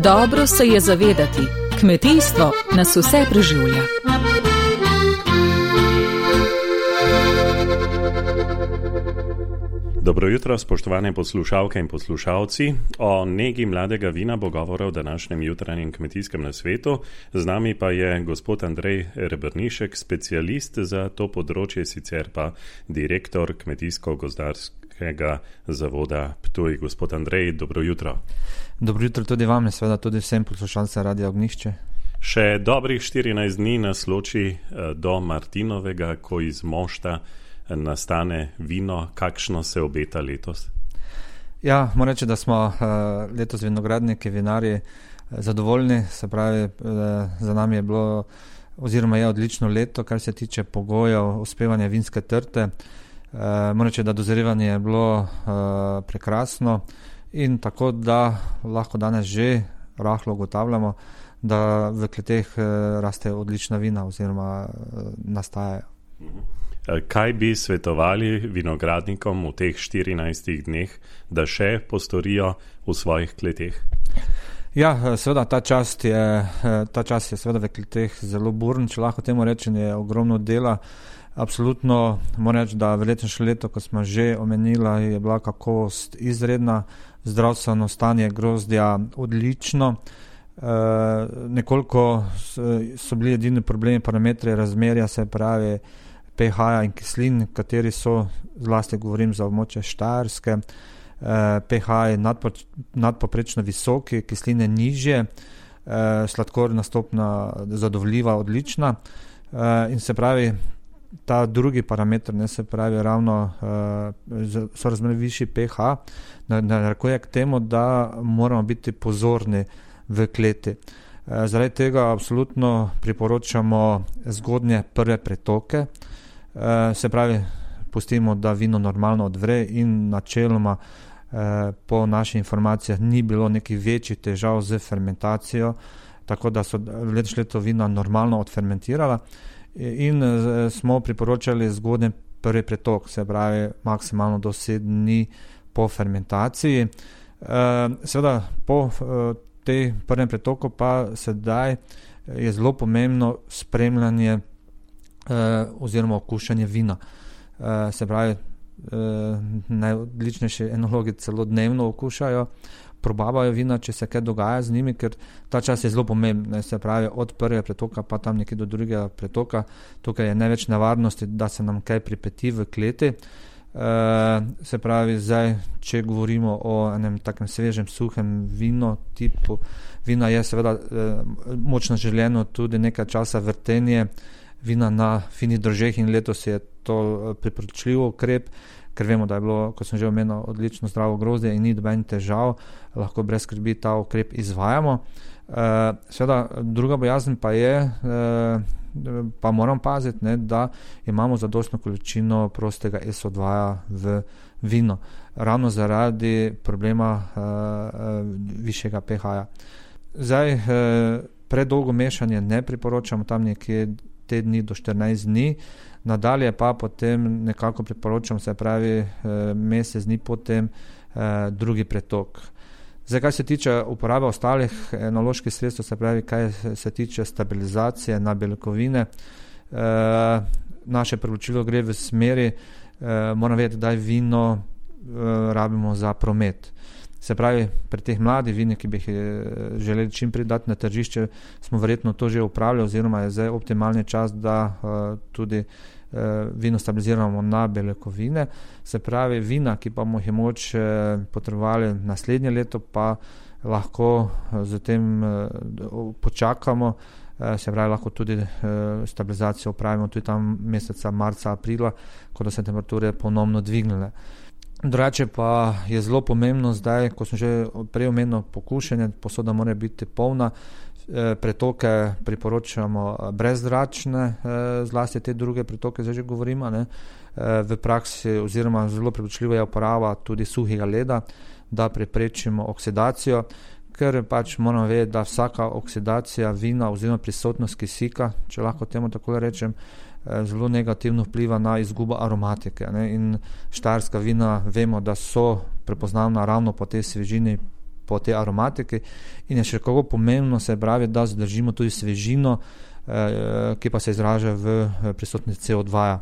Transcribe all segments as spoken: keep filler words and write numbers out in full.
Dobro se je zavedati, kmetijstvo nas vse preživlja. Dobro jutro, spoštovane poslušalke in poslušalci. O negi mladega vina bo govora v današnjem jutranjem kmetijskem nasvetu. Z nami pa je gospod Andrej Rebrnišek, specialist za to področje, sicer pa direktor Kmetijsko-gozdarskega zavoda Ptuj. Gospod Andrej, dobro jutro. Dobro jutro tudi vam, in seveda tudi vsem poslušalcem Radia Ognjišče. Še dobrih štirinajst dni nas loči do Martinovega, ko iz mošta nastane vino. Kakšno se obeta letos? Ja, moram reči, da smo letos vinogradniki, vinarji zadovoljni. Se pravi, za nami je bilo oziroma je odlično leto, kar se tiče pogojev uspevanja vinske trte. Moram reči, da dozirevanje je bilo prekrasno in tako, da lahko danes že rahlo ugotavljamo, da v kleteh raste odlična vina oziroma nastajajo. Kaj bi svetovali vinogradnikom v teh štirinajstih dneh, da še postorijo v svojih kleteh? Ja, seveda ta čas je, ta čas je seveda v kleteh zelo burn, če lahko temu rečem, je ogromno dela. Absolutno moram reči, da v letošnjem letu, ko smo že omenila, je bila kakovost izredna, zdravstveno stanje grozdja odlično. E, nekoliko so bili edini problemi parametri razmerja, se pravi pH-ja in kislin, kateri so, zlasti govorim za območje Štajerske. E, pH je nadpo, nadpoprečno visoki, kisline nižje, e, sladkorna stopnja zadovoljiva, odlična. E, in se pravi, ta drugi parameter, ne, se pravi ravno e, so razmerno višji pH, narekuje k temu, da moramo biti pozorni v kleti. E, zaradi tega absolutno priporočamo zgodnje prve pretoke. Uh, se pravi, pustimo, da vino normalno odvre in načeloma uh, po naših informacijah ni bilo nekih večjih težav z fermentacijo, tako da so letošnje leto vina normalno odfermentirala in uh, smo priporočali zgodnji prvi pretok, se pravi maksimalno do sedem dni po fermentaciji. Uh, seveda po uh, tej prvem pretoku pa sedaj je zelo pomembno spremljanje Uh, oziroma okušanje vina. Uh, se pravi, uh, najodličnejši enologi celo dnevno okušajo, probavajo vina, če se kaj dogaja z njimi, ker ta čas je zelo pomemben. Se pravi, od prvega pretoka pa tam nekje do drugega pretoka. Tukaj je največ nevarnosti, da se nam kaj pripeti v kleti. Uh, se pravi, zdaj, če govorimo o enem takem svežem, suhem vino tipu vina, je seveda uh, močno želeno tudi nekaj časa vrtenje vina na finih držeh in letos je to priporočljiv ukrep, ker vemo, da je bilo, kot sem že omenil, odlično zdravo grozdje in ni dobenih težav, lahko brez skrbi ta ukrep izvajamo. Uh, seveda, druga bojazen pa je, uh, pa moram paziti, ne, da imamo zadostno količino prostega es o dva v vino, ravno zaradi problema uh, uh, višjega pH-ja. Zdaj, uh, predolgo mešanje ne priporočamo, tam nekje te dni do štirinajst dni, nadalje pa potem nekako priporočam, se pravi mesec dni potem eh, drugi pretok. Zdaj, kaj se tiče uporabe ostalih enoloških sredstev, se pravi, kaj se tiče stabilizacije na beljakovine, eh, naše priporočilo gre v smeri, eh, moram vedeti, da vino eh, rabimo za promet. Se pravi, pri teh mladih vinih, ki bi jih želeli čim prej dati na tržišče, smo verjetno to že upravljali, oziroma je zdaj optimalni čas, da uh, tudi uh, vino stabiliziramo na beljakovine. Se pravi, vina, ki pa bomo jih moč uh, potrebovali naslednje leto, pa lahko uh, z tem uh, počakamo, uh, se pravi, lahko tudi uh, stabilizacijo upravimo tudi tam meseca marca, aprila, ko da se temperature ponovno dvignile. Drugače pa je zelo pomembno zdaj, ko sem že prej omenil pokušanje, posoda mora biti polna, pretoke priporočamo brezzračne, zlasti te druge pretoke, zdaj že govorimo, ne, v praksi oziroma zelo priporočljiva je uporaba tudi suhega leda, da preprečimo oksidacijo, ker pač moramo vedeti, da vsaka oksidacija vina oziroma prisotnost kisika, če lahko temu tako rečem, zelo negativno vpliva na izgubo aromatike, ne? In štajerska vina vemo, da so prepoznavna ravno po tej svežini, po tej aromatiki in je še kako pomembno, se pravi, da zadržimo tudi svežino, ki pa se izraža v prisotnosti C O dva.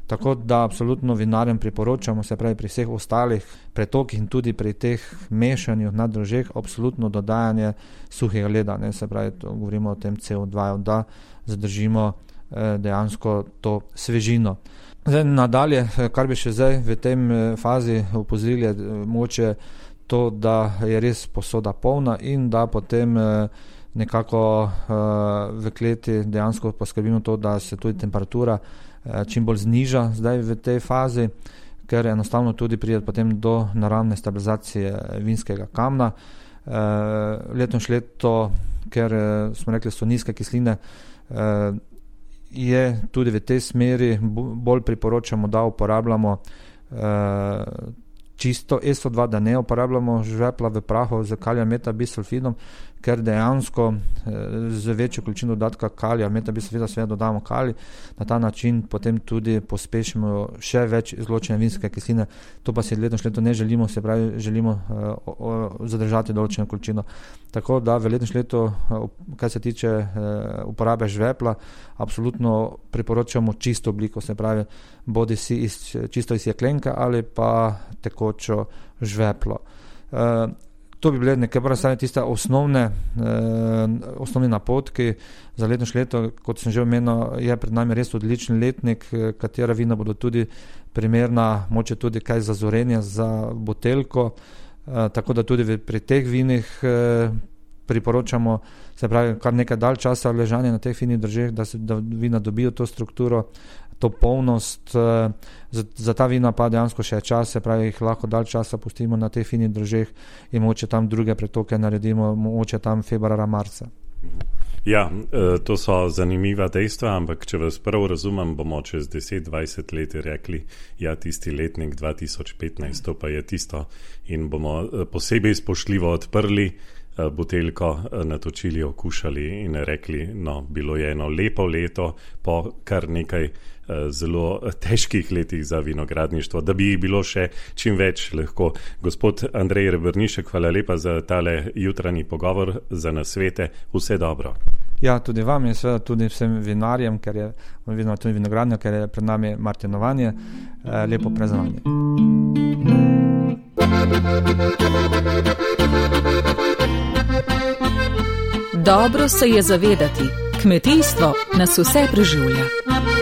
Tako da absolutno vinarjem priporočamo, se pravi pri vseh ostalih pretokih in tudi pri teh mešanju na drožeh, absolutno dodajanje suhega leda, ne, se pravi, to govorimo o tem C O dva, da zadržimo eh, dejansko to svežino. Zdaj, nadalje, kar bi še zdaj v tem fazi opozorili, je moče to, da je res posoda polna in da potem eh, nekako eh, v kleti dejansko poskrbimo to, da se tudi temperatura čim bolj zniža zdaj v tej fazi, ker enostavno tudi pride potem do naravne stabilizacije vinskega kamna. E, letošnje leto, ker smo rekli, so nizke kisline, e, je tudi v tej smeri bolj priporočamo, da uporabljamo e, čisto E S O dva, da ne uporabljamo žvepla v prahu z kalijem metabisulfidom, ker dejansko z večjo količino dodatka kalija, metabisulfida seveda dodamo kalij, na ta način potem tudi pospešimo še več izločene vinske kisline. To pa si letošnje leto ne želimo, se pravi, želimo uh, o, zadržati določeno količino. Tako da v letošnje leto, uh, kar se tiče uh, uporabe žvepla, absolutno priporočamo čisto obliko, se pravi, bodi si iz, čisto iz jeklenke ali pa tekočo žveplo. Uh, To bi bile nekaj prve tiste osnovne, eh, osnovni napotki za letošnje leto. Kot sem že omenil, je pred nami res odličen letnik, katera vina bodo tudi primerna, moče tudi kaj za zorenje, za buteljko, eh, tako da tudi pri teh vinih eh, priporočamo, se pravi, kar nekaj dalj časa ležanje na teh finih držeh, da se da vina dobijo to strukturo, to polnost. Za, za ta vina pa dejansko še čas, se pravi, jih lahko dalj časa pustimo na teh finih držeh in moče tam druge pretoke naredimo, moče tam februara, marca. Ja, to so zanimiva dejstva, ampak če vas prav razumem, bomo čez deset dvajset let rekli, ja, tisti letnik dva tisoč petnajst, to pa je tisto, in bomo posebej spoštljivo odprli buteljko, natočili, okušali in rekli, no, bilo je eno lepo leto po kar nekaj zelo težkih letih za vinogradništvo, da bi jih bilo še čim več lahko. Gospod Andrej Rebrnišek, hvala lepa za tale jutranji pogovor, za nasvete, vse dobro. Ja, tudi vam in seveda tudi vsem vinarjem, ker je tudi vinogradnja, ker je pred nami martinovanje, lepo praznovanje. Dobro se je zavedati, kmetijstvo nas vse preživlja.